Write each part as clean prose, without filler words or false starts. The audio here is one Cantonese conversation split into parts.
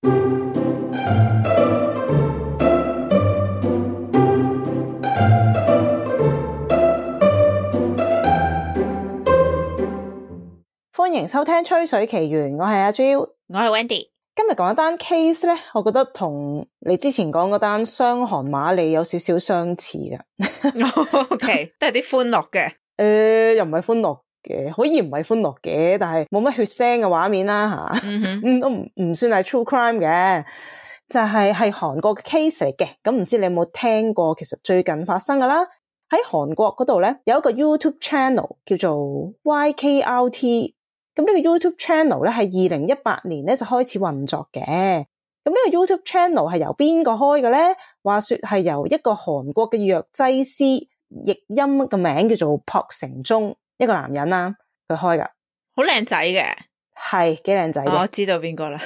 歡迎收聽《吹水奇緣》，我係阿 Jill， 我係 Wendy。今日講一單 case 咧，我覺得同你之前講嗰單傷韓瑪莉有少少相似嘅。OK， 都係啲歡樂嘅。又唔係歡樂嘅，可以唔係歡樂嘅，但係冇乜血腥嘅畫面啦吓，都唔算係 true crime 嘅，就係韓國嘅 case 嚟嘅。咁唔知你有冇聽過？其實最近發生噶啦，喺韓國嗰度咧有一個 YouTube channel 叫做 YKRT。咁呢個 YouTube channel 咧係2018年咧就開始運作嘅。咁呢個 YouTube channel 係由邊個開嘅咧？話說係由一個韓國嘅藥劑師，譯音嘅名叫做朴成忠，一個男人啦，佢開噶，好靚仔嘅，係幾靚仔嘅。我知道邊個啦。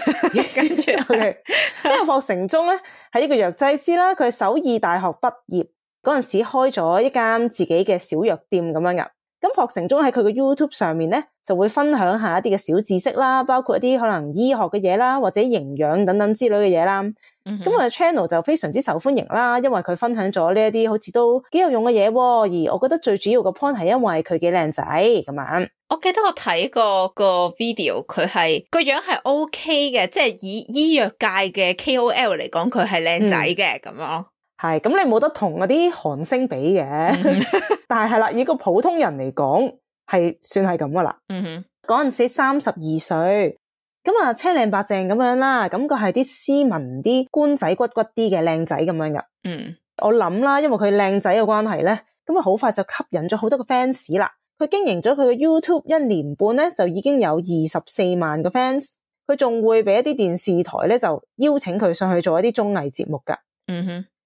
跟住呢個朴成忠咧係一個藥劑師啦，佢係首爾大學畢業嗰陣時開咗一間自己嘅小藥店咁樣噶。咁朴成忠喺佢嘅 YouTube 上面咧就會分享下一啲嘅小知識啦，包括一啲可能醫學嘅嘢啦，或者營養等等之類嘅嘢啦。咁我嘅 channel 就非常之受歡迎啦，因為佢分享咗呢一啲好似都幾有用嘅嘢，而我覺得最主要嘅 point 係因為佢幾靚仔咁樣。我記得我睇過個 video， 佢係個樣係 OK 嘅，即係以醫藥界嘅 KOL 嚟講，佢係靚仔嘅咁樣。係，咁你冇得同嗰啲韓星比嘅，但係啦，以個普通人嚟講，係算係咁噶啦。嗰陣時32歲，咁啊青靚白淨咁樣啦，感覺係啲斯文啲、官仔骨骨啲嘅靚仔咁樣噶。我諗啦，因為佢靚仔嘅關係咧，咁啊好快就吸引咗好多個 fans 啦。佢經營咗佢嘅 YouTube 1年半咧，就已經有24萬個 fans。佢仲會俾一啲電視台咧，就邀請佢上去做一啲綜藝節目噶。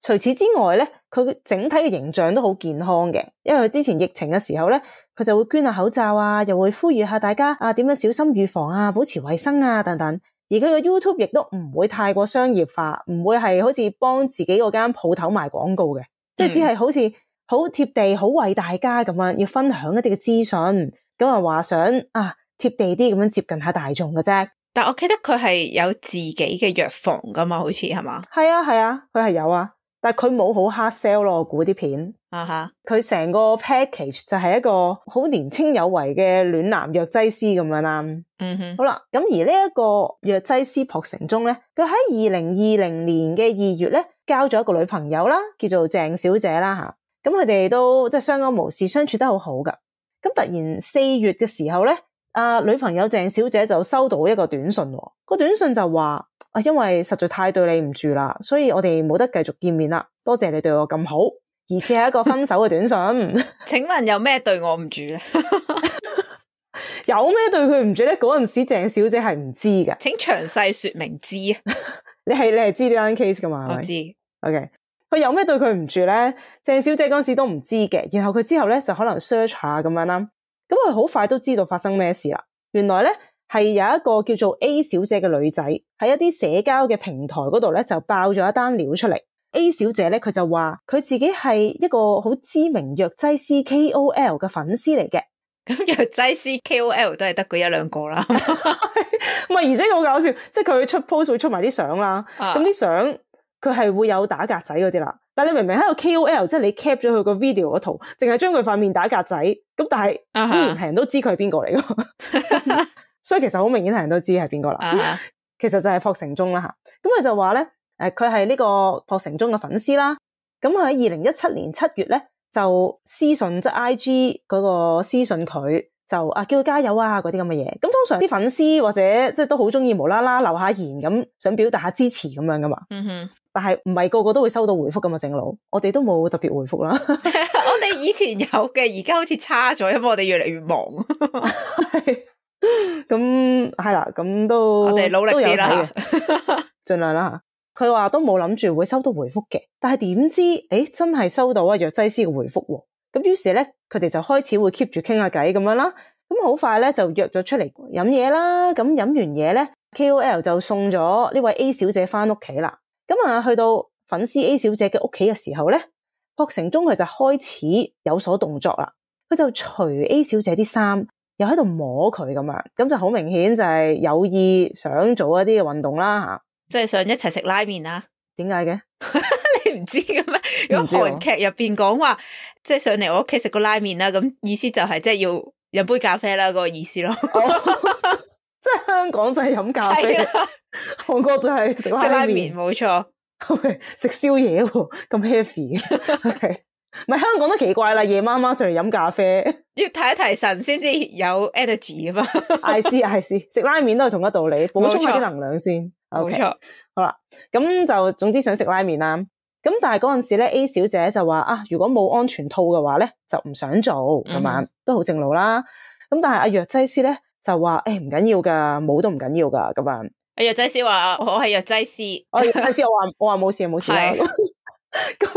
除此之外咧，佢整體嘅形象都好健康嘅，因為佢之前疫情嘅時候咧，佢就會捐下口罩啊，又會呼籲下大家啊點樣小心預防啊，保持衛生啊等等。而佢嘅 YouTube 亦都唔會太過商業化，唔會係好似幫自己嗰間鋪頭賣廣告嘅，即係只係好似好貼地、好為大家咁樣要分享一啲嘅資訊，咁啊話想啊貼地啲咁樣接近下大眾嘅啫。但我記得佢係有自己嘅藥房噶嘛，好似係嘛？係啊，佢係有啊。但係佢冇好 hard sell 咯，我估啲片。佢成個 package 就係一個好年青有為嘅暖男藥劑師咁樣啦。好啦，咁而呢一個藥劑師朴成忠咧，佢喺2020年嘅2月咧，交咗一個女朋友啦，叫做鄭小姐啦吓。咁佢哋都即係相安無事，相處得好好噶。咁突然4月嘅時候咧，女朋友鄭小姐就收到一個短信，個短信就話，因為實在太對你唔住啦，所以我哋冇得繼續見面啦。多謝你對我咁好，而且係一個分手嘅短信。請問有咩對我唔住咧？有咩對佢唔住咧？嗰陣時鄭小姐係唔知嘅，請詳細說明知啊！你係知呢單 case 噶嘛？我知。OK， 佢有咩對佢唔住咧？鄭小姐嗰陣時都唔知嘅，然後佢之後咧就可能 search 下咁樣啦。咁佢好快都知道發生咩事啦。原來咧係有一個叫做 A 小姐嘅女仔喺一啲社交嘅平台嗰度咧就爆咗一單料出嚟。A 小姐咧佢就話佢自己係一個好知名藥劑師 KOL 嘅粉絲嚟嘅。咁藥劑師 KOL 都係得嗰一兩個啦。唔係，而且好搞笑，即係佢出 post 會出埋啲相啦。咁啲相佢係會有打格仔嗰啲啦。但係你明明喺個 KOL， 即係你 cap 咗佢個 video 嗰圖，淨係將佢塊面打格仔，咁但係依然係人都知佢係邊個嚟㗎。所以其實好明顯係人都知係邊個啦。其實就係朴成忠啦吓。咁佢就話咧，佢係呢個朴成忠嘅粉絲啦。咁佢喺2017年7月咧就私信即係 IG 嗰個私信佢，就叫佢加油啊嗰啲咁嘅嘢。咁通常啲粉絲或者即係都好中意無啦啦留下言咁，想表達下支持咁樣噶嘛。但係唔係個個都會收到回覆噶嘛，正路我哋都冇特別回覆啦。我哋以前有嘅，而家好似差咗，因為我哋越嚟越忙。咁係啦，咁都我哋努力啲啦，盡量啦吓。佢話都冇諗住會收到回覆嘅，但係點知真係收到藥劑師嘅回覆喎。咁於是咧，佢哋就開始會 keep 住傾下偈咁樣啦。咁好快咧就約咗出嚟飲嘢啦。咁飲完嘢咧 ，KOL 就送咗呢位 A 小姐翻屋企啦。咁去到粉絲 A 小姐嘅屋企嘅時候咧，朴成忠佢就開始有所動作啦。佢就除 A 小姐啲衫，又喺度摸佢咁樣，咁就好明顯就係有意想做一啲嘅運動啦吓。即係想一齊食拉麵啊？點解嘅？你唔知嘅咩？如果韓劇入邊講話，即係上嚟我屋企食個拉麵啦，咁意思就係即係要飲杯咖啡啦，嗰個意思咯。即係香港就係飲咖啡，韓國就係食拉麵，冇錯。食宵夜喎，咁 heavy 嘅。唔係香港都奇怪啦，夜晚上嚟飲咖啡，要提一提神先至有 energy 噶嘛。I see，食拉麵都係同一道理，補充下啲能量先。冇錯，好啦，咁就總之想食拉麵啦。咁但係嗰陣時咧 ，A 小姐就話啊，如果冇安全套嘅話咧，就唔想做咁樣，都好正路啦。咁但係阿藥劑師咧就話誒唔緊要噶，冇都唔緊要噶咁樣。阿藥劑師話我係藥劑師，藥劑師我話冇事啦。咁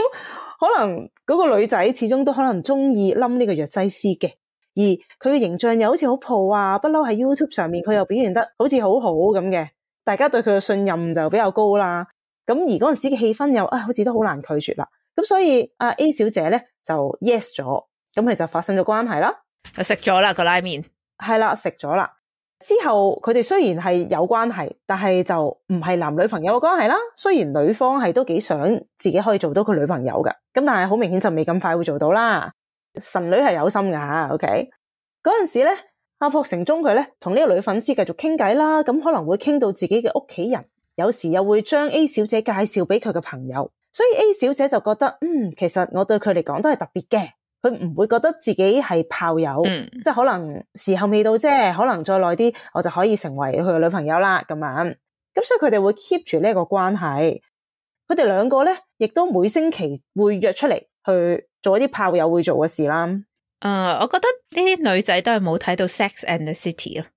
可能嗰個女仔始終都可能中意冧呢個藥劑師嘅，而佢嘅形象又好似好 pro 啊，不嬲喺 YouTube 上面佢又表現得好似好好咁嘅，大家對佢嘅信任就比較高啦。咁而嗰陣時嘅氣氛又好似都好難拒絕啦。咁所以阿 A 小姐咧就 yes 咗，咁佢就發生咗關係啦，就食咗啦個拉麵。係啦，食咗啦。之後佢哋雖然係有關係，但係就唔係男女朋友嘅關係啦。雖然女方係都幾想自己可以做到佢女朋友㗎，咁但係好明顯就未咁快會做到啦。神女係有心㗎 OK。嗰陣時咧，阿朴成忠佢咧同呢個女粉絲繼續傾偈啦，咁可能會傾到自己嘅屋企人，有時又會將 A 小姐介紹俾佢嘅朋友，所以 A 小姐就覺得其實我對佢嚟講都係特別嘅。佢唔會覺得自己係炮友，即係可能時候未到啫，可能再耐啲我就可以成為佢嘅女朋友啦咁樣。咁所以佢哋會 keep 住呢一個關係。佢哋兩個咧，亦都每星期會約出嚟去做一啲炮友會做嘅事啦。我覺得呢啲女仔都係冇睇到 Sex and the City 咯。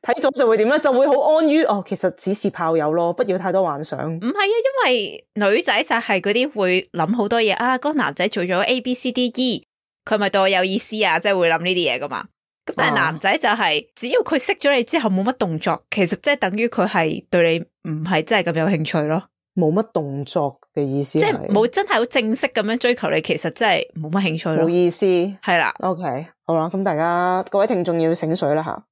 睇咗就會點咧？就會好安於其實只是炮友咯，不要太多幻想。唔係啊，因為女仔就係嗰啲會諗好多嘢啊。嗰個男仔做咗 ABCDE， 佢咪對我有意思啊？即係會諗呢啲嘢噶嘛。咁但係男仔就係只要佢識咗你之後冇乜動作，其實即係等於佢係對你唔係真係咁有興趣咯。冇乜動作嘅意思，即係冇真係好正式咁樣追求你，其實真係冇乜興趣咯。冇意思，係啦。OK，好啦，咁大家各位聽眾要醒水啦吓。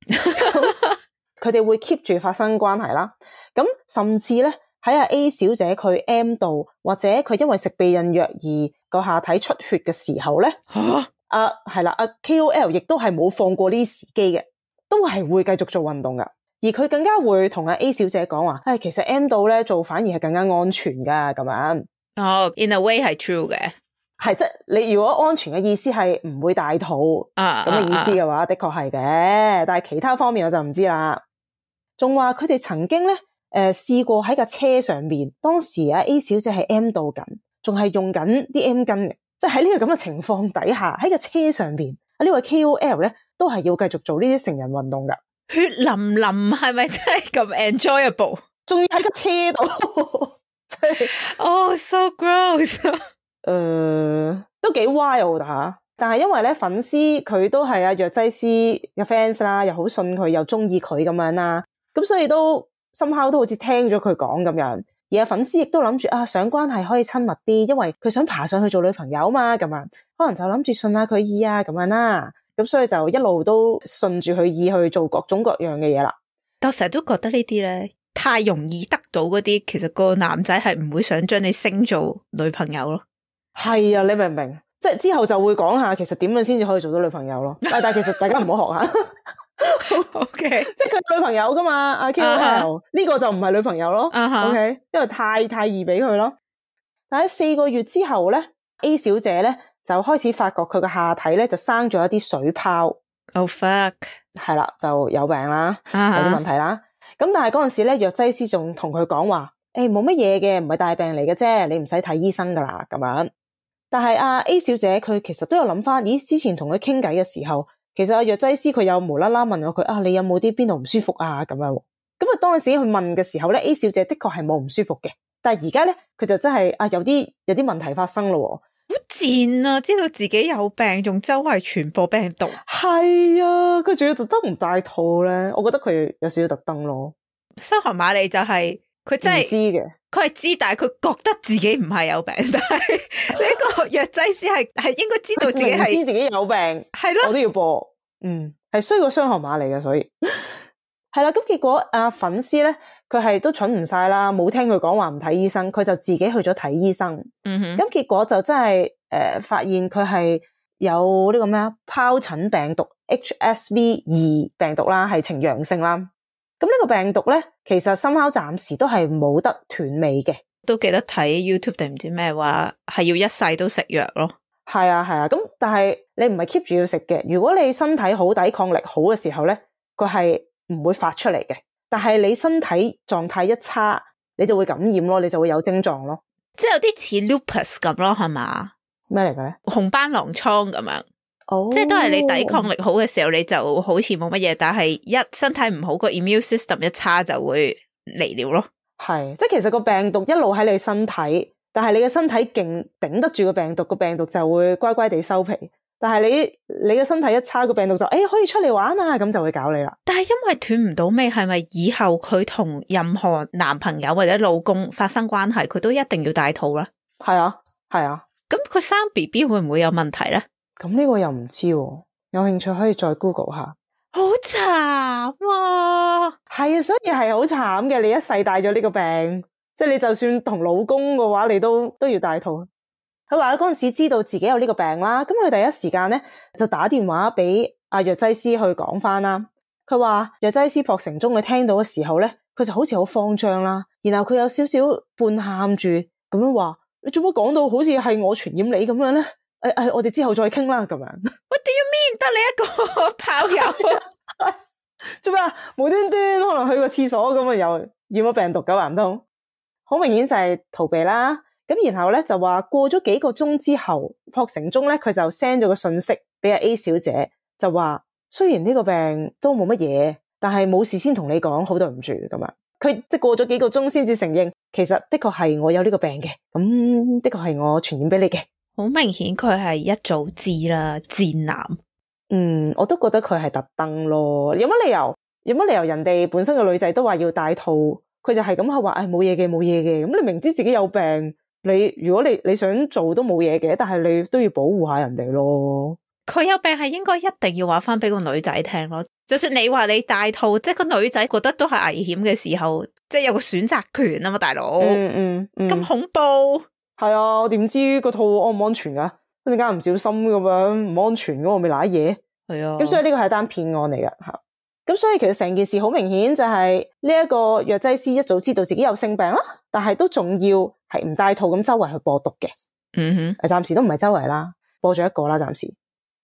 佢哋會 keep 住發生關係啦，咁甚至咧喺阿 A 小姐佢 M 到，或者佢因為食避孕藥而個下體出血嘅時候咧，係啦，阿 KOL 亦都係冇放過呢啲時機嘅，都係會繼續做運動噶。而佢更加會同阿 A 小姐講話，其實 M 到咧做反而係更加安全噶咁樣。In a way 係 true 嘅，係即係你如果安全嘅意思係唔會大肚咁嘅意思嘅話，的確係嘅，但係其他方面我就唔知啦。仲話佢哋曾經咧，試過喺架車上面，當時阿 A 小姐係 M 到緊，仲係用緊啲 M 巾嘅，即係喺呢個咁嘅情況底下，喺架車上邊，呢位 KOL 咧都係要繼續做呢啲成人運動噶。血淋淋係咪真係咁 enjoyable？ 仲要喺架車度，即係so gross。都幾 wild 吓。但係因為咧粉絲佢都係阿藥劑師嘅 fans 啦，又好信佢，又中意佢咁樣啦。咁所以都somehow都好似聽咗佢講咁樣，而粉絲亦都諗住上關係可以親密啲，因為佢想爬上去做女朋友嘛，咁樣可能就諗住順下佢意啊咁樣啦，咁所以就一路都順住佢意去做各種各樣嘅嘢啦。但我成日都覺得呢啲咧太容易得到嗰啲，其實個男仔係唔會想將你升做女朋友咯。係啊，你明唔明？即係之後就會講下其實點樣先至可以做到女朋友咯。但係其實大家唔好學下。OK， 即係佢女朋友噶嘛，阿 KOL 呢個就唔係女朋友咯。OK， 因為太易俾佢咯。但喺4個月之後咧 ，A 小姐咧就開始發覺佢個下體咧就生咗一啲水泡。Oh fuck， 係啦，就有病啦，有啲問題啦。咁但係嗰陣時咧，藥劑師仲同佢講話，冇乜嘢嘅，唔係大病嚟嘅啫，你唔使睇醫生噶啦咁樣。但係阿 A 小姐佢其實都有諗翻，咦，之前同佢傾偈嘅時候，其實阿藥劑師佢有無啦啦問我佢你有冇啲邊度唔舒服啊咁樣。咁啊當陣時去問嘅時候咧 ，A 小姐的確係冇唔舒服嘅，但係而家咧佢就真係有啲問題發生咯。好賤啊！知道自己有病，仲周圍傳播病毒。係啊，佢仲要特登唔戴套咧，我覺得佢有少少特登咯。收行馬利就係佢真係唔知嘅，佢係知，但係佢覺得自己唔係有病，但係呢個藥劑師係應該知道自己係知自己有病，係咯，我都要播，係衰過雙行馬利嘅，所以係啦，咁結果粉絲咧，佢係都蠢唔晒啦，冇聽佢講話唔睇醫生，佢就自己去咗睇醫生。咁結果就真係發現佢係有呢個咩疱疹病毒 HSV2 病毒啦，係呈陽性啦。咁呢個病毒咧，其實深烤暫時都係冇得斷尾嘅。都記得睇 YouTube 定唔知咩話，係要一世都食藥咯。係啊，咁但係你唔係 keep 住要食嘅。如果你身體好、抵抗力好嘅時候咧，佢係唔會發出嚟嘅。但係你身體狀態一差，你就會感染咯，你就會有症狀咯。即係有啲似 lupus 咁咯，係嘛？咩嚟嘅咧？紅斑狼瘡咁樣。即係都係你抵抗力好嘅時候，你就好似冇乜嘢，但係一身體唔好，個 immune system 一差就會嚟了咯。係，即係其實個病毒一路喺你身體，但係你嘅身體勁頂得住個病毒，個病毒就會乖乖地收皮。但係你嘅身體一差，個病毒就可以出嚟玩啊，咁就會搞你啦。但係因為斷唔到尾，係咪以後佢同任何男朋友或者老公發生關係，佢都一定要戴套咧？係啊。咁佢生 BB 會唔會有問題咧？咁呢個又唔知喎，有興趣可以再 Google 下。好慘啊！係啊，所以係好慘嘅。你一世帶咗呢個病，即係你就算同老公嘅話，你都要戴套。佢話嗰陣時知道自己有呢個病啦，咁佢第一時間咧就打電話俾藥劑師去講翻啦。佢話藥劑師朴成忠佢聽到嘅時候咧，佢就好似好慌張啦，然後佢有少少半喊住咁樣話：你做乜講到好似係我傳染你咁樣咧？我哋之後再傾啦，咁樣。What do you mean？得你一個炮友？做咩啊？無端端可能去個廁所咁啊，又染咗病毒㗎，話唔通？好明顯就係逃避啦。咁然後咧就話過咗幾個鐘之後，朴成忠咧佢就 send 咗個信息俾阿 A 小姐，就話雖然呢個病都冇乜嘢，但係冇事先同你講，好對唔住咁樣。佢即係過咗幾個鐘先至承認，其實的確係我有呢個病嘅，咁的確係我傳染俾你嘅。好明顯佢係一早知啦，賤男。我都覺得佢係特登咯。有乜理由人哋本身個女仔都話要戴套，佢就係咁係話冇嘢嘅。咁你明知自己有病，如果你想做都冇嘢嘅，但係你都要保護下人哋咯。佢有病係應該一定要話翻俾個女仔聽咯。就算你話你戴套，即係個女仔覺得都係危險嘅時候，即係有個選擇權啊嘛，大佬。咁恐怖。係啊，我點知個套安唔安全噶？一陣間唔小心咁樣唔安全咁，我咪瀨嘢。係啊，咁所以呢個係單騙案嚟㗎吓。咁所以其實成件事好明顯就係呢一個藥劑師一早知道自己有性病啦，但係都仲要係唔戴套咁周圍去播毒嘅。暫時都唔係周圍啦，播咗一個啦，暫時。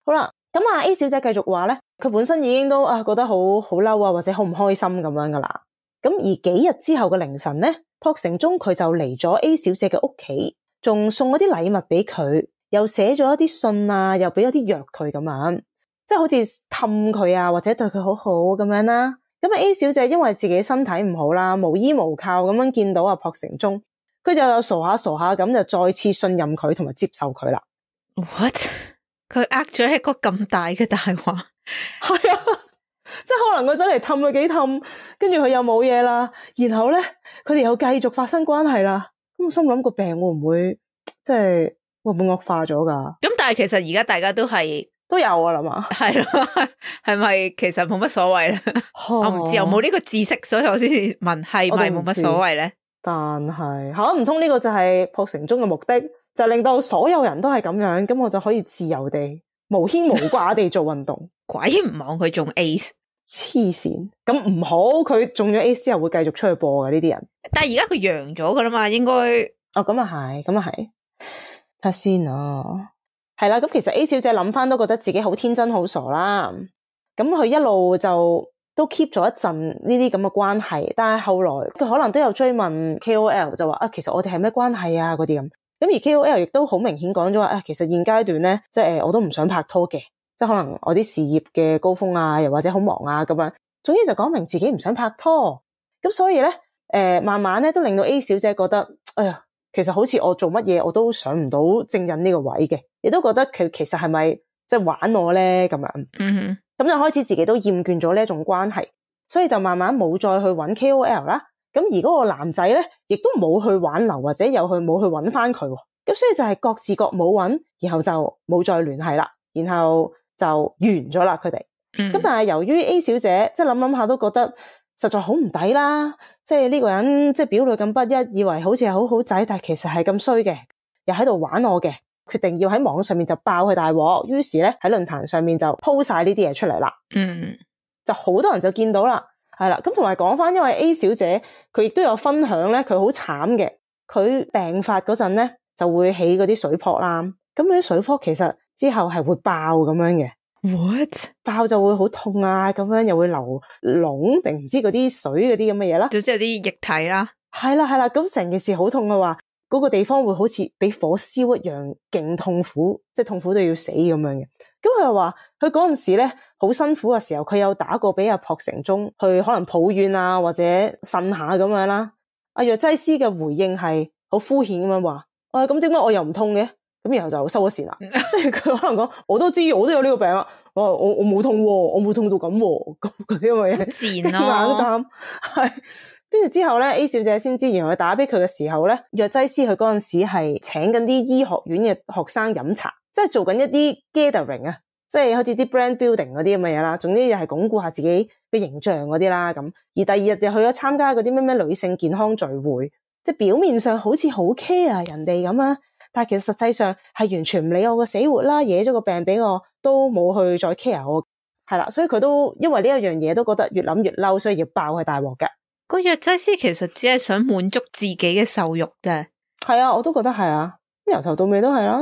好啦，咁A 小姐繼續話咧，佢本身已經都覺得好嬲啊，或者好唔開心咁樣噶啦。咁而幾日之後嘅凌晨咧，朴成忠佢就嚟咗 A 小姐嘅屋企。仲送咗啲禮物俾佢，又寫咗一啲信啊，又俾咗啲藥佢咁樣，即係好似氹佢啊，或者對佢好好咁樣啦。咁A 小姐因為自己身體唔好啦，無依無靠咁樣見到朴成忠，佢就有傻下咁就再次信任佢同埋接受佢啦。What？ 佢咗一個咁大嘅大話？係啊，即係可能佢真係氹佢幾氹，跟住佢又冇嘢啦，然後咧佢哋又繼續發生關係啦。咁我心諗個病會唔會即係會唔會惡化咗噶？咁但係其實而家大家都有啊啦嘛，係咯，係咪其實冇乜所謂咧？我唔知，我冇呢個知識，所以我先至問係咪冇乜所謂咧？但係唔通呢個就係朴成忠嘅目的，就令到所有人都係咁樣，咁我就可以自由地無牽無掛地做運動。鬼唔望佢中 AIDS。黐線，咁唔好，佢中咗 AIDS 之後會繼續出去播嘅呢啲人。但係而家佢陽咗噶啦嘛，應該咁啊係，睇下先啊。係啦，咁其實 A 小姐諗翻都覺得自己好天真好傻啦。咁佢一路就都 keep 咗一陣呢啲咁嘅關係，但係後來佢可能都有追問 KOL， 就話其實我哋係咩關係啊嗰啲咁。咁而 KOL 亦都好明顯講咗話其實現階段咧，即係我都唔想拍拖嘅。即係可能我啲事業嘅高峰啊，又或者好忙啊咁樣，總之就講明自己唔想拍拖。咁所以咧，慢慢咧都令到 A 小姐覺得，哎呀，其實好似我做乜嘢我都上唔到正印呢個位嘅，亦都覺得佢其實係咪即係玩我咧咁樣。咁就開始自己都厭倦咗呢一種關係，所以就慢慢冇再去揾 KOL 啦。咁而嗰個男仔咧，亦都冇去挽留或者冇去揾翻佢。咁所以就係各自各冇揾，然後就冇再聯繫啦，然後就完咗啦佢哋。咁但係由於 A 小姐即係諗下都覺得實在好唔抵啦，即係呢個人即係表裏咁不一，以為好似係好好仔，但係其實係咁衰嘅，又喺度玩我嘅，決定要喺網上面就爆佢大鑊，於是咧喺論壇上面就鋪晒呢啲嘢出嚟啦。就好多人就見到啦，係啦。咁同埋講翻，因為 A 小姐佢亦都有分享咧，佢好慘嘅，佢病發嗰陣咧就會起嗰啲水泡啦。咁嗰啲水泡其實之後係會爆咁樣嘅。What？ 爆就會好痛啊，咁樣又會流膿定唔知嗰啲水嗰啲咁嘅嘢啦。總之有啲液體啦。係啦，咁成件事好痛嘅話，嗰個地方會好似俾火燒一樣，勁痛苦，即係痛苦到要死咁樣嘅。咁佢又話佢嗰陣時咧好辛苦嘅時候，佢有打過俾阿朴成忠去可能抱怨啊，或者呻下咁樣啦。阿藥劑師嘅回應係好敷衍咁樣話，咁點解我又唔痛嘅？咁然後就收咗線啦。即係佢可能講，我都知，我都有呢個病啊。我冇痛喎，我冇痛到咁喎，咁嗰啲咁嘅嘢，賤咯。硬擔係。跟住之後咧 ，A 小姐先知，原來佢打俾佢嘅時候咧，藥劑師佢嗰陣時係請緊啲醫學院嘅學生飲茶，即係做緊一啲 gathering 啊，即係好似啲 brand building 嗰啲咁嘅嘢啦。總之又係鞏固下自己嘅形象嗰啲啦。咁而第二日就去咗參加嗰啲咩女性健康聚會，即係表面上好似好 care 人哋咁啊，但係其實實際上係完全唔理我個死活啦，惹咗個病俾我都冇去再 care 我，係啦。所以佢都因為呢一樣嘢都覺得越諗越嬲，所以要爆佢大鑊嘅。個藥劑師其實只係想滿足自己嘅獸慾啫。係啊，我都覺得係啊，由頭到尾都係啦。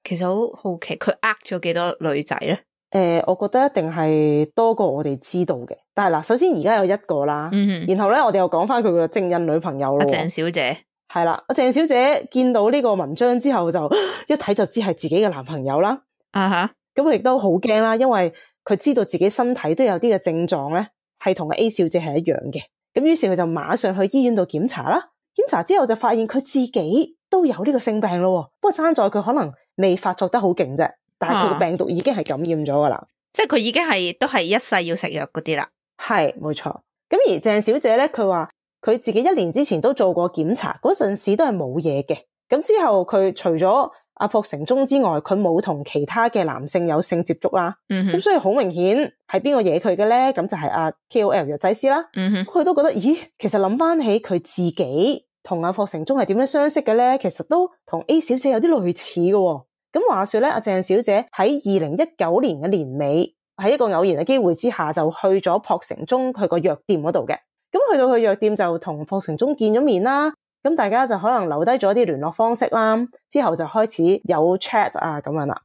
其實好好奇佢呃咗幾多女仔咧？我覺得一定係多過我哋知道嘅。但係嗱，首先而家有一個啦，然後咧我哋又講翻佢個正印女朋友咯。阿鄭小姐係啦，阿鄭小姐見到呢個文章之後就一睇就知係自己嘅男朋友啦。咁佢亦都好驚啦，因為佢知道自己身體都有啲嘅症狀咧，係同 A 小姐係一樣嘅。咁於是佢就馬上去醫院度檢查啦。檢查之後就發現佢自己都有呢個性病咯。不過爭在佢可能未發作得好勁啫，但係佢個病毒已經係感染咗噶啦。即係佢已經係都係一世要食藥嗰啲啦。係，冇錯。咁而鄭小姐咧，佢話佢自己1年之前都做過檢查，嗰陣時都係冇嘢嘅。咁之後佢除咗阿朴成忠之外，佢冇同其他嘅男性有性接觸啦。咁所以好明顯係邊個惹佢嘅咧？咁就係阿 KOL 藥劑師啦。佢都覺得，咦，其實諗翻起佢自己同阿朴成忠係點樣相識嘅咧？其實都同 A 小姐有啲類似嘅。咁話說咧，阿鄭小姐喺2019年嘅年尾，喺一個偶然嘅機會之下，就去咗朴成忠佢個藥店嗰度嘅。咁去到佢藥店就同朴成忠見咗面啦。咁大家就可能留低咗啲聯絡方式啦，之後就開始有 chat 啊咁樣啦。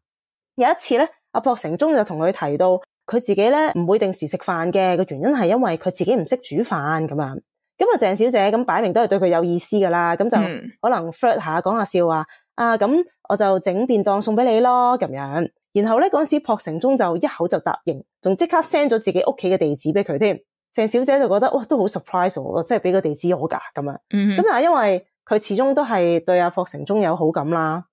有一次咧，阿朴成忠就同佢提到，佢自己咧唔會定時食飯嘅，個原因係因為佢自己唔識煮飯咁樣。咁啊，鄭小姐咁擺明都係對佢有意思噶啦，咁就可能 flirt 下講下笑話啊，咁我就整便當送俾你咯咁樣。然後咧嗰陣時，朴成忠就一口就答應，仲即刻 send 咗自己屋企嘅地址俾佢添。鄭小姐就覺得哇，都好 surprise 喎，即係俾個地址我噶咁樣。咁但係因為佢始終都係對阿朴成忠有好感啦，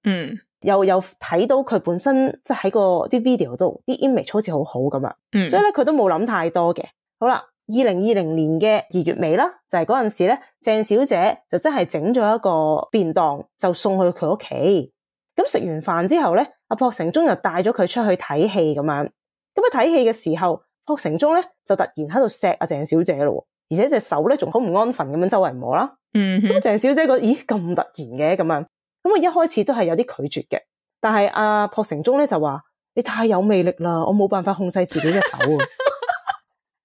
又睇到佢本身即係喺個啲 video 度啲 image 好似好好咁樣，所以咧佢都冇諗太多嘅。好啦，2020年嘅2月尾啦，就係嗰陣時咧，鄭小姐就真係整咗一個便當就送去佢屋企。咁食完飯之後咧，阿朴成忠又帶咗佢出去睇戲咁樣。咁睇戲嘅時候，朴成忠咧就突然喺度錫阿鄭小姐咯，而且隻手咧仲好唔安分咁樣周圍摸啦。咁鄭小姐覺得咦咁突然嘅咁樣，咁我一開始都係有啲拒絕嘅，但係阿朴成忠咧就話你太有魅力啦，我冇辦法控制自己嘅手啊。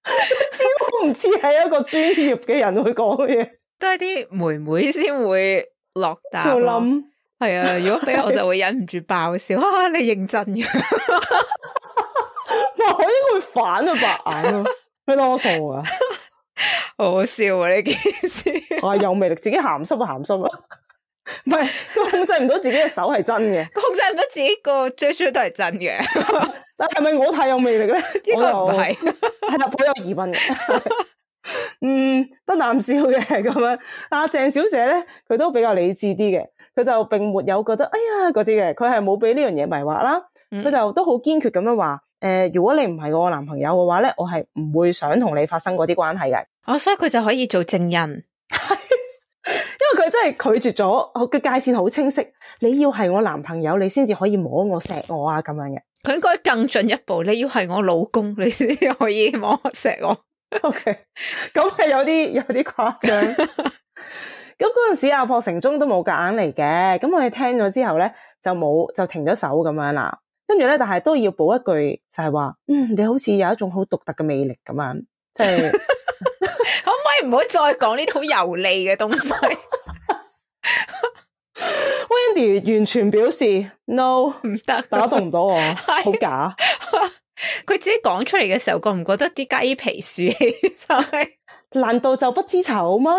點都唔似係一個專業嘅人去講嘅嘢，都係啲妹妹先會落答。就諗係啊，如果俾我就會忍唔住爆笑。你認真嘅？我應該會反佢白眼咯，你當我傻啊？好好笑啊！呢件事有魅力，自己鹹濕就鹹濕啦，唔係佢控制唔到自己嘅手係真嘅，控制唔到自己個追都係真嘅。但係咪我太有魅力咧？應該唔係，係啦，好有疑問嘅。得啖笑嘅咁樣。阿鄭小姐咧，佢都比較理智啲嘅，佢就並沒有覺得哎呀嗰啲嘅，佢係冇俾呢樣嘢迷惑啦。佢就都好堅決咁樣話，如果你唔係我男朋友嘅話咧，我係唔會想同你發生嗰啲關係嘅。所以佢就可以做證人，因為佢真係拒絕咗，個界線好清晰。你要係我男朋友，你先至可以摸我錫我啊咁樣嘅。佢應該更進一步，你要係我老公，你先可以摸錫我。OK， 咁係有啲誇張。咁嗰陣時阿朴成忠都冇夾硬嚟嘅，咁佢聽咗之後咧就停咗手咁樣啦。跟住咧，但係都要補一句，就係話，你好似有一種好獨特嘅魅力咁樣，即係可唔可以唔好再講呢啲好油膩嘅東西？Wendy 完全表示 no， 唔得，打動唔到我，好假。佢自己講出嚟嘅時候，覺唔覺得啲雞皮豎起？就係，難道就不知醜嗎？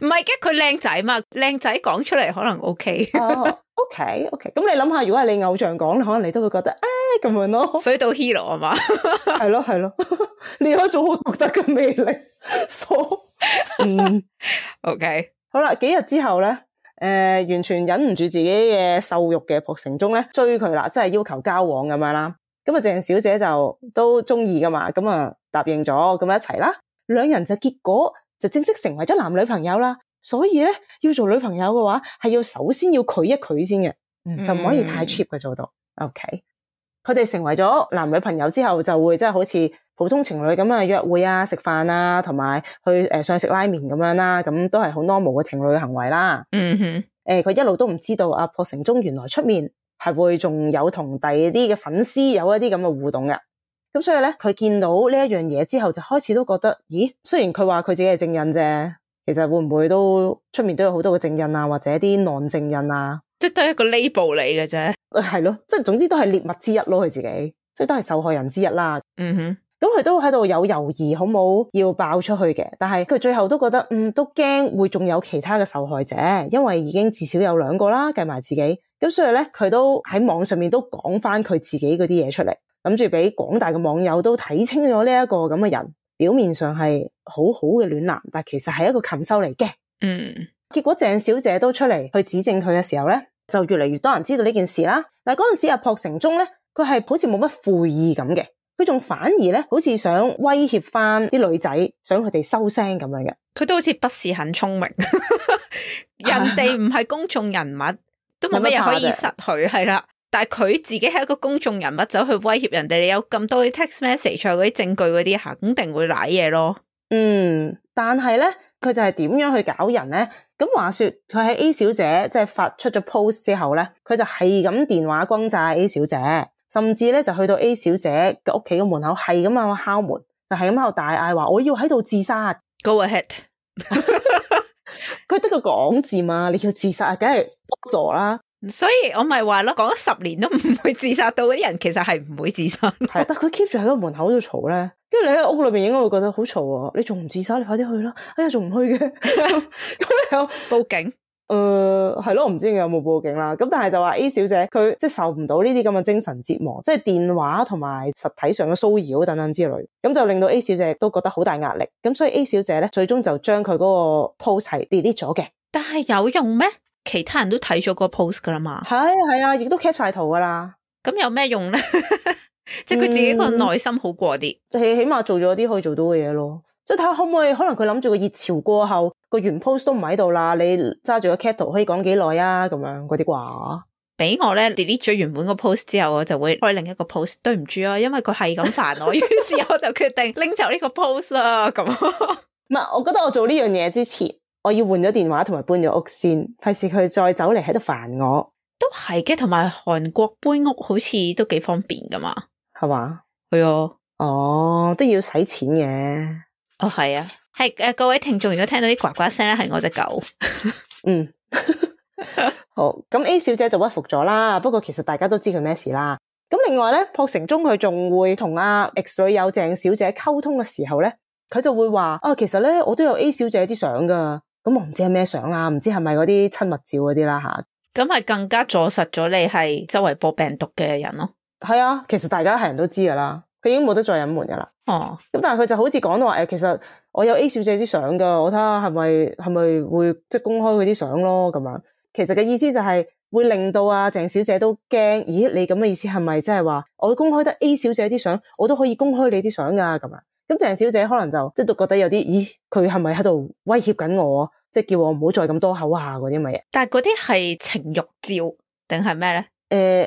唔係嘅，佢靚仔嘛，靚仔講出嚟可能 OK。OK， 咁你諗下，如果係你偶像講，可能你都會覺得咁樣咯，水到 hero 啊嘛，係咯，你有一種好獨特嘅魅力。OK， 好啦，幾日之後咧，完全忍唔住自己嘅獸欲嘅朴成忠咧追佢啦，即係要求交往咁樣啦。咁啊，鄭小姐就都中意噶嘛，咁啊答應咗，咁一齊啦，兩人就結果就正式成為咗男女朋友啦。所以咧，要做女朋友嘅話，係要首先要拒一拒先嘅，就唔可以太 cheap 嘅做到。OK， 佢哋成為咗男女朋友之後，就會即係好似普通情侶咁啊約會啊、食飯啊，同埋去上去食拉麵咁樣啦，咁都係好 normal 嘅情侶嘅行為啦。佢一路都唔知道阿朴成忠原來出面係會仲有同第二啲嘅粉絲有一啲咁嘅互動嘅。咁所以咧，佢見到呢一樣嘢之後，就開始都覺得，咦，雖然佢話佢自己係正印啫。其實會唔會都出面都有好多嘅正印啊，或者啲non正印啊，即係都係一個 label 嚟嘅啫。係咯，即係總之都係獵物之一咯，佢自己即係都係受害人之一啦。咁佢都喺度有猶豫，好冇要爆出去嘅，但係佢最後都覺得都驚會仲有其他嘅受害者，因為已經至少有2個啦，計埋自己。咁所以咧，佢都喺網上面都講翻佢自己嗰啲嘢出嚟，諗住俾廣大嘅網友都睇清咗呢一個咁嘅人。表面上係好好嘅暖男，但其實係一個禽獸嚟嘅。結果鄭小姐都出嚟去指證佢嘅時候咧，就越嚟越多人知道呢件事啦。但係嗰陣時阿朴成忠咧，佢係好似冇乜悔意咁嘅，佢仲反而咧好似想威脅翻啲女仔，想佢哋收聲咁樣嘅。佢都好似不是很聰明，人哋唔係公眾人物，都冇乜嘢可以失去，係啦。但係佢自己係一個公眾人物，走去威脅人哋，你有咁多啲 text message 嗰啲證據嗰啲，肯定會瀨嘢咯。但係咧，佢就係點樣去搞人咧？咁話說，佢喺 A 小姐即係發出咗 post 之後咧，佢就係咁電話轟炸 A 小姐，甚至咧就去到 A 小姐嘅屋企嘅門口，係咁樣敲門，就係咁喺度大嗌話我要喺度自殺。Go ahead， 佢得個講字嘛，你要自殺梗係幫助啦。所以我咪話咯，講咗10年都唔會自殺到嗰啲人，其實係唔會自殺。係，但佢 keep 住喺個門口度嘈咧，跟住你喺屋裏邊應該會覺得好嘈啊！你仲唔自殺？你快啲去啦！哎呀，仲唔去嘅？咁你又報警？係咯，我唔知你有冇報警啦。咁但係就話 A 小姐佢即係受唔到呢啲咁嘅精神折磨，即係電話同埋實體上嘅騷擾等等之類，咁就令到 A 小姐都覺得好大壓力。咁所以 A 小姐咧最終就將佢嗰個 post 係 delete 咗嘅。但係有用咩？其他人都睇咗個 post 噶啦嘛，係啊，亦都 cap 晒圖噶啦。咁有咩用咧？即係佢自己個內心好過啲，起碼做咗啲可以做到嘅嘢咯。即係睇下可唔可以，可能佢諗住個熱潮過後個原 post 都唔喺度啦，你揸住個 cap 圖可以講幾耐啊？咁樣嗰啲啩。俾我咧 delete 咗原本個 post 之後，我就會開另一個 post。對唔住啊，因為佢係咁煩我，於是我就決定拎走呢個 post 啦。咁唔係，我覺得我做呢樣嘢之前，我要換咗電話同埋搬咗屋先，費事佢再走嚟喺度煩我。都係嘅，同埋韓國搬屋好似都幾方便噶嘛，係嘛？係啊，哦，都要使錢嘅。哦，係啊，係各位聽眾如果聽到啲呱呱聲咧，係我隻狗。好，咁 A 小姐就屈服咗啦。不過其實大家都知佢咩事啦。咁另外咧，朴成忠佢仲會同阿 X 女友鄭小姐溝通嘅時候咧，佢就會話其實咧我都有 A 小姐啲相噶。咁我唔知係咩相啦，唔知係咪嗰啲親密照嗰啲啦吓。咁係更加坐實咗你係周圍播病毒嘅人咯。係啊，其實大家係人都知噶啦，佢已經冇得再隱瞞噶啦。咁但係佢就好似講到話其實我有 A 小姐啲相噶，我睇下係咪會即係公開佢啲相咯咁樣。其實嘅意思就係會令到鄭小姐都驚，咦你咁嘅意思係咪即係話我公開得 A 小姐啲相，我都可以公開你啲相噶咁樣？咁鄭小姐可能就即係都覺得有啲，咦佢係咪喺度威脅緊我，即係叫我唔好再咁多口下嗰啲乜嘢？但係嗰啲係情慾照定係咩咧？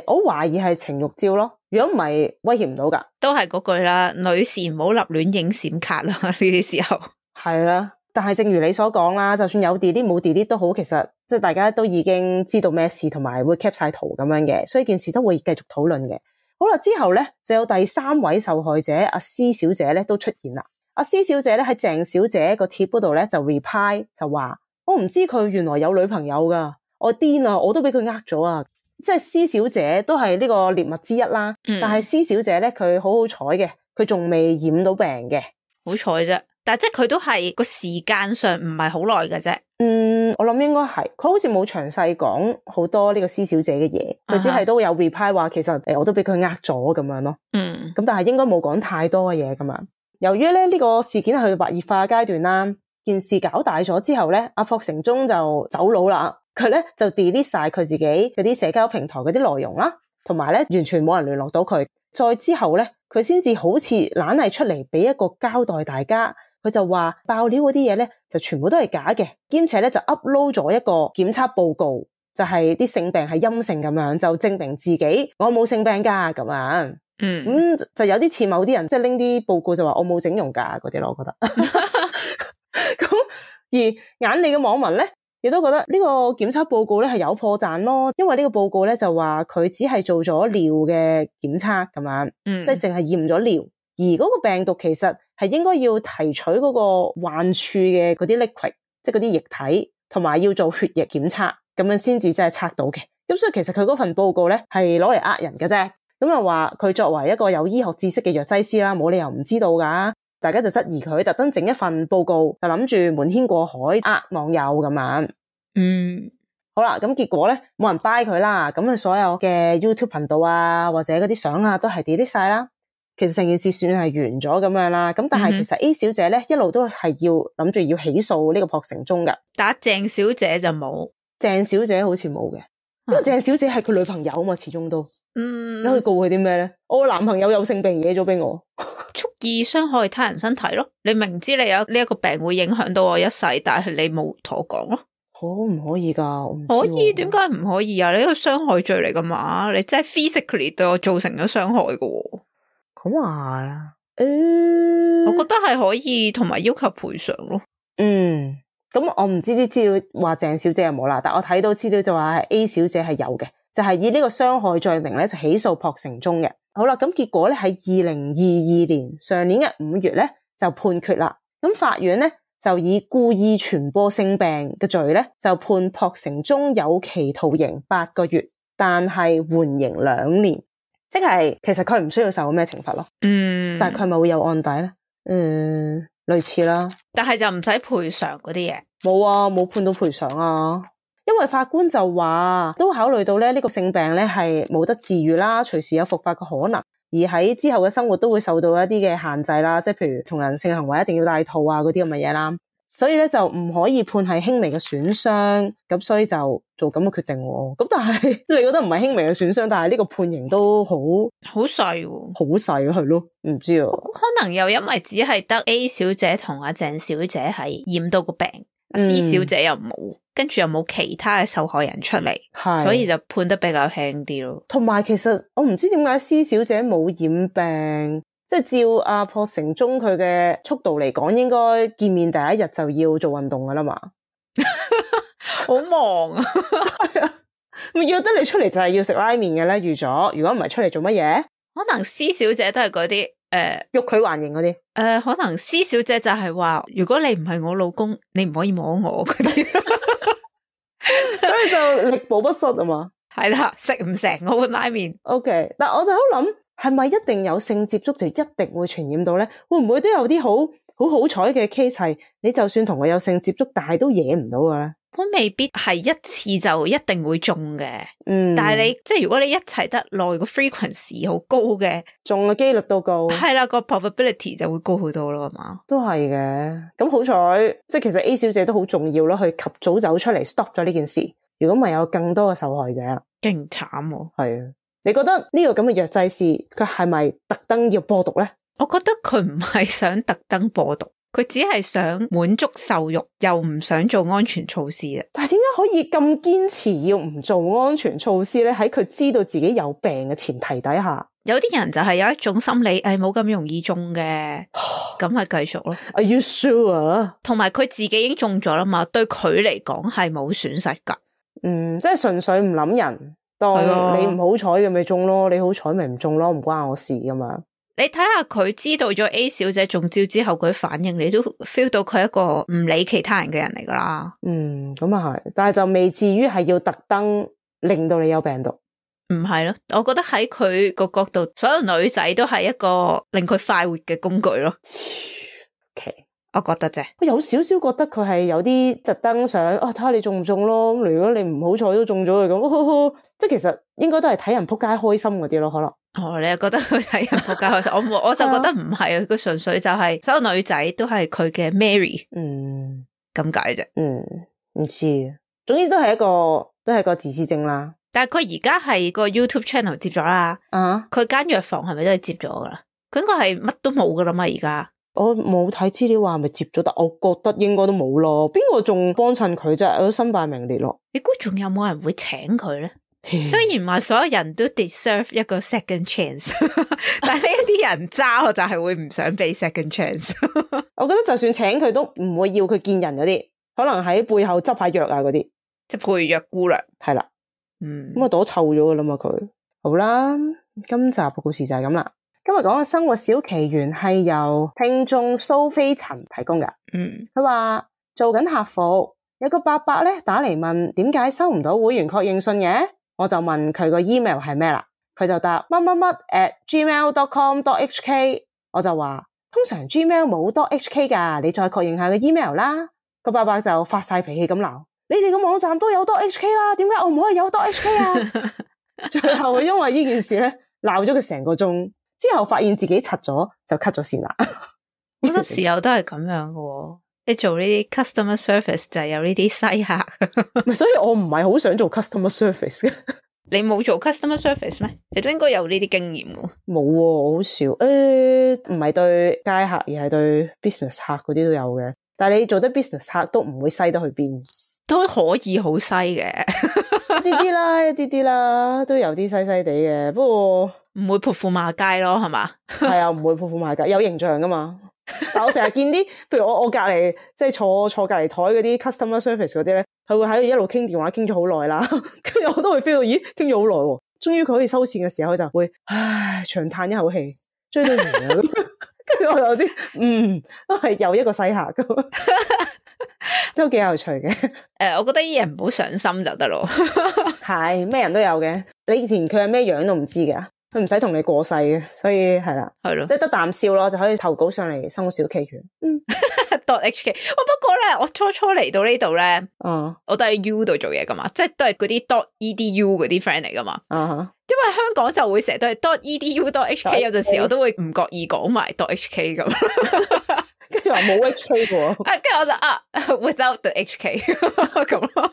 我懷疑係情慾照咯，如果唔係威脅唔到噶。都係嗰句啦，女士唔好立亂影閃卡啦，呢啲時候。係啦，但係正如你所講啦，就算有 delete 冇 delete 都好，其實即係大家都已經知道咩事，同埋會 cap 晒圖咁樣嘅，所以件事都會繼續討論嘅。好啦，之後咧就有第3位受害者阿施小姐咧都出現啦。阿施小姐咧喺鄭小姐個貼嗰度咧就 reply 就話，我唔知佢原來有女朋友噶，我癲啊，我都俾佢呃咗啊！即係施小姐都係呢個獵物之一啦，但係施小姐咧佢好好彩嘅，佢仲未染到病嘅，好彩啫。但係即係佢都係個時間上唔係好耐嘅啫。我諗應該係，佢好似冇詳細講好多呢個施小姐嘅嘢，佢只係都有 reply 話其實我都俾佢呃咗咁樣咯。咁但係應該冇講太多嘅嘢咁樣。由於咧呢個事件係去到白熱化階段啦，件事搞大咗之後咧，阿朴成忠就走佬啦。佢咧就 delete 晒佢自己嗰啲社交平台嗰啲內容啦，同埋咧完全冇人聯絡到佢。再之後咧，佢先至好似懶係出嚟俾一個交代大家。佢就話爆料嗰啲嘢咧就全部都係假嘅，兼且咧就 upload 咗一個檢測報告，就係啲性病係陰性咁樣，就證明自己我冇性病噶咁樣。就有啲似某啲人即係拎啲報告就話我冇整容噶嗰啲咯，我覺得。咁而眼利嘅網民咧亦都覺得呢個檢測報告咧係有破綻咯，因為呢個報告咧就話佢只係做咗尿嘅檢測咁樣，即係淨係驗咗尿。而嗰個病毒其實係應該要提取嗰個患處嘅嗰啲 liquid， 即係嗰啲液體，同埋要做血液檢測，咁樣先至真係測到嘅。咁所以其實佢嗰份報告咧係攞嚟呃人嘅啫。咁又話佢作為一個有醫學知識嘅藥劑師啦，冇理由唔知道噶。大家就質疑佢特登整一份報告，就諗住瞞天過海呃網友咁樣。好啦，咁結果咧冇人 buy 佢啦。咁佢所有嘅 YouTube 頻道啊，或者嗰啲相啊，都係 delete 晒啦。其實成件事算係完咗咁樣啦，咁但係其實 A 小姐咧一路都係要諗住要起訴呢個朴成忠噶，但鄭小姐就冇，鄭小姐好似冇嘅，因為鄭小姐係佢女朋友啊嘛，始終都，你可以告佢啲咩咧？我男朋友有性病惹咗俾我，蓄意傷害他人身體咯，你明知你有呢一個病會影響到我一世，但係你冇同我講咯，可唔可以噶？我唔知可以，點解唔可以啊？你呢個傷害罪嚟噶嘛？你真係 physically 對我造成咗傷害噶。咁啊，我覺得係可以，同埋要求賠償咯。咁我唔知啲資料話鄭小姐有冇啦，但我睇到資料就話係 A 小姐係有嘅，就係以呢個傷害罪名咧就起訴朴成忠嘅。好啦，咁結果咧喺2022年上年嘅5月咧就判決啦。咁法院咧就以故意傳播性病嘅罪咧就判朴成忠有期徒刑8個月，但係緩刑2年。即係其實佢唔需要受咩懲罰咯，但係佢咪會有案底咧？類似啦，但係就唔使賠償嗰啲嘢，冇啊，冇判到賠償啊，因為法官就話都考慮到咧呢個性病咧係冇得治癒啦，隨時有復發嘅可能，而喺之後嘅生活都會受到一啲嘅限制啦，即係譬如同人性行為一定要戴套啊嗰啲咁嘅嘢啦。所以咧就唔可以判係輕微嘅損傷，咁所以就做咁嘅決定喎。咁但係你覺得唔係輕微嘅損傷，但係呢個判刑都好細喎，好細係咯，唔知啊。可能又因為只係得 A 小姐同阿鄭小姐係染到個病，C 小姐又冇，跟住又冇其他嘅受害人出嚟，所以就判得比較輕啲咯。同埋其實我唔知點解 C 小姐冇染病。即係照阿朴成忠佢嘅速度嚟講，應該見面第一日就要做運動噶啦嘛，好忙啊！係啊，約得你出嚟就係要食拉麵嘅咧，預咗。如果唔係出嚟做乜嘢？可能 C 小姐都係嗰啲欲拒還迎嗰啲。可能 C 小姐就係話，如果你唔係我老公，你唔可以摸我嗰啲，所以就力保不失啊嘛。係啦，食唔成嗰碗拉麵。OK， 但我就好諗。係咪一定有性接觸就一定會傳染到咧？會唔會都有啲好彩嘅 case 係你就算同佢有性接觸，但係都惹唔到嘅咧？都未必係一次就一定會中嘅。但係你即係如果你一齊得耐，個 frequency 好高嘅，中嘅機率都高。係啦，個 probability 就會高好多咯，係嘛？都係嘅。咁好彩，即係其實 A 小姐都好重要咯，去及早走出嚟 stop 咗呢件事。如果唔係有更多嘅受害者啦，勁慘喎。係啊。你覺得呢個咁嘅藥劑師佢係咪特登要播毒咧？我覺得佢唔係想特登播毒，佢只係想滿足獸慾，又唔想做安全措施啊！但係點解可以咁堅持要唔做安全措施咧？喺佢知道自己有病嘅前提底下，有啲人就係有一種心理，冇咁容易中嘅，咁咪繼續咯。Are you sure？ 同埋佢自己已經中咗啦嘛，對佢嚟講係冇損失噶。即係純粹唔諗人，當你唔好彩嘅咪中咯，你好彩咪唔中咯，唔關我事噶嘛。你睇下佢知道咗 A 小姐中招之後佢反應，你都 feel 到佢係一個唔理其他人嘅人嚟噶啦。咁啊係，但係就未至於係要特登令到你有病毒。唔係咯，我覺得喺佢個角度，所有女仔都係一個令佢快活嘅工具咯。Okay. 我覺得啫，我有少少覺得佢係有啲特登想睇下你中唔中咯。如果你唔好彩都中咗佢咁，即係其實應該都係睇人仆街開心嗰啲咯，可能。你又覺得佢睇人仆街開心？我就覺得唔係啊，佢純粹就係所有女仔都係佢嘅 Mary，咁解啫。唔知，總之都係一個自私症啦。但係佢而家係個 YouTube channel 接咗啦，佢間藥房係咪都係接咗噶啦？佢應該係乜都冇噶啦嘛，而家。我冇睇資料話係咪接咗，但我覺得應該都冇咯。邊個仲幫襯佢啫？我都身敗名裂咯。你估仲有冇人會請佢咧？雖然話所有人都 deserve 一個 second chance， 但係呢一啲人渣，我就係會唔想俾 second chance。我覺得就算請佢都唔會要佢見人嗰啲，可能喺背後執下藥啊嗰啲，即係配藥姑娘。係啦，咁啊朵臭咗噶啦嘛佢。好啦，今集嘅故事就係咁啦。今日講嘅生活小奇緣係由聽眾蘇菲陳提供嘅。佢話做緊客服，有個伯伯咧打嚟問點解收唔到會員確認信嘅，我就問佢個 email 係咩啦，佢就答乜乜乜 @gmail.com.hk， 我就話通常 Gmail 冇 .hk 噶，你再確認下個 email 啦。個伯伯就發晒脾氣咁鬧，你哋個網站都有 .hk 啦，點解我唔可以有 .hk 啊？最後因為呢件事咧鬧咗佢成個鐘。之後發現自己柒咗，就 cut 咗線啦。好多時候都係咁樣嘅，你做呢啲 customer service 就係有呢啲西客。所以我唔係好想做 customer service 嘅。你冇做 customer service 咩？你都應該有呢啲經驗嘅。冇喎，好少。唔係對街客，而係對 business 客嗰啲都有嘅。但係你做得 business 客都唔會西得去邊，都可以好西嘅。一啲啲啦，都有啲西西地嘅。不過唔會潑婦罵街咯，係嘛？係啊，唔會潑婦罵街，有形象噶嘛。但我成日見啲，譬如我隔籬即係坐隔籬台嗰啲 customer service 嗰啲咧，佢會喺度一路傾電話傾咗好耐啦。跟住我都會 feel 到，咦，傾咗好耐喎。終於佢可以收線嘅時候，佢就會長嘆一口氣，追到完啦。跟住我就知，都係又一個西客咁，都幾有趣嘅。我覺得啲人唔好上心就得咯。係咩人都有嘅，你連佢係咩樣都唔知㗎。佢唔使同你過世嘅，所以係啦，係咯，即係得啖笑咯，就可以投稿上嚟生活小奇緣。.hk， 不過咧，我初嚟到呢度咧，我都喺 U 度做嘢噶嘛，即係都係嗰啲 .edu 嗰啲 friend 嚟噶嘛。因為香港就會成日都係 .edu .hk， 有陣時我都會唔覺意講埋 .hk 咁，跟住話冇 hk 嘅喎。跟住我就without the hk 咁咯。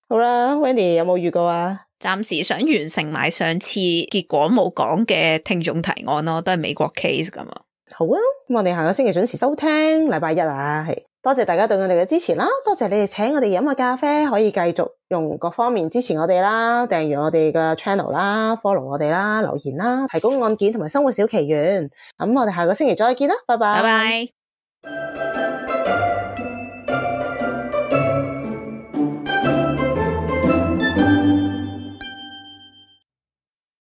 好啦 ，Wendy 有冇預告啊？暫時想完成埋上次結果冇講嘅聽眾提案咯，都係美國 case 咁啊。好啊，咁我哋下個星期準時收聽，禮拜一啊，係多謝大家對我哋嘅支持啦，多謝你哋請我哋飲下咖啡，可以繼續用各方面支持我哋啦，訂閱我哋嘅 channel 啦 ，follow 我哋啦，留言啦，提供案件同埋生活小奇緣。咁我哋下個星期再見啦，拜拜。拜拜。